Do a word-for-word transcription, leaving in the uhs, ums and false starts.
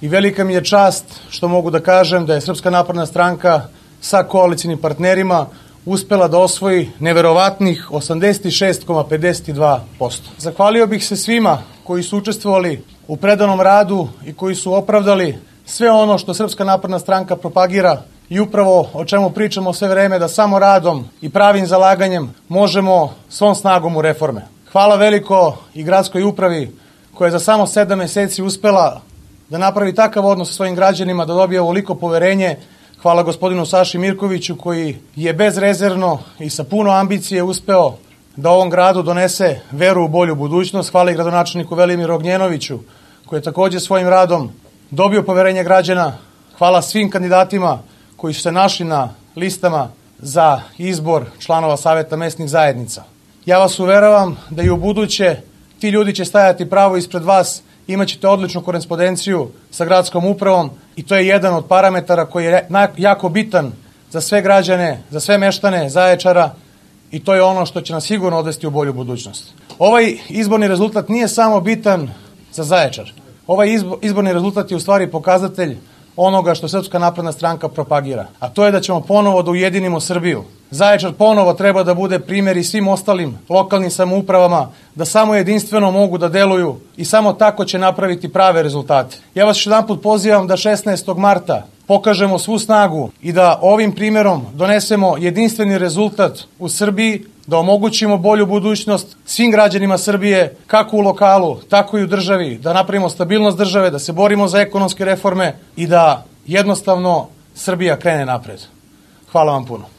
I velika mi je čast što mogu da kažem da je Srpska napredna stranka sa koalicijnim partnerima uspela da osvoji neverovatnih osamdeset šest zarez pedeset dva posto. Zahvalio bih se svima koji su učestvovali u predanom radu i koji su opravdali sve ono što Srpska napredna stranka propagira i upravo o čemu pričamo sve vreme, da samo radom i pravim zalaganjem možemo svom snagom u reforme. Hvala veliko i gradskoj upravi koja je za samo sedam meseci uspela da napravi takav odnos sa svojim građanima, da dobije ovoliko poverenje. Hvala gospodinu Saši Mirkoviću koji je bezrezervno i sa puno ambicije uspeo da ovom gradu donese veru u bolju budućnost. Hvala i gradonačelniku Velimiru Ognjenoviću koji je takođe svojim radom dobio poverenje građana. Hvala svim kandidatima koji su se našli na listama za izbor članova Saveta mesnih zajednica. Ja vas uveravam da i u buduće ti ljudi će stajati pravo ispred vas, imaćete odličnu korespondenciju sa gradskom upravom i to je jedan od parametara koji je jako bitan za sve građane, za sve meštane Zaječara i to je ono što će nas sigurno odvesti u bolju budućnost. Ovaj izborni rezultat nije samo bitan za Zaječar. Ovaj izborni rezultat je u stvari pokazatelj onoga što Srpska napredna stranka propagira, a to je da ćemo ponovo da ujedinimo Srbiju. Zaječar ponovo treba da bude primjer i svim ostalim lokalnim samoupravama, da samo jedinstveno mogu da deluju i samo tako će napraviti prave rezultate. Ja vas još jedanput pozivam da šesnaestog marta pokažemo svu snagu i da ovim primjerom donesemo jedinstveni rezultat u Srbiji, da omogućimo bolju budućnost svim građanima Srbije, kako u lokalu, tako i u državi, da napravimo stabilnost države, da se borimo za ekonomske reforme i da jednostavno Srbija krene napred. Hvala vam puno.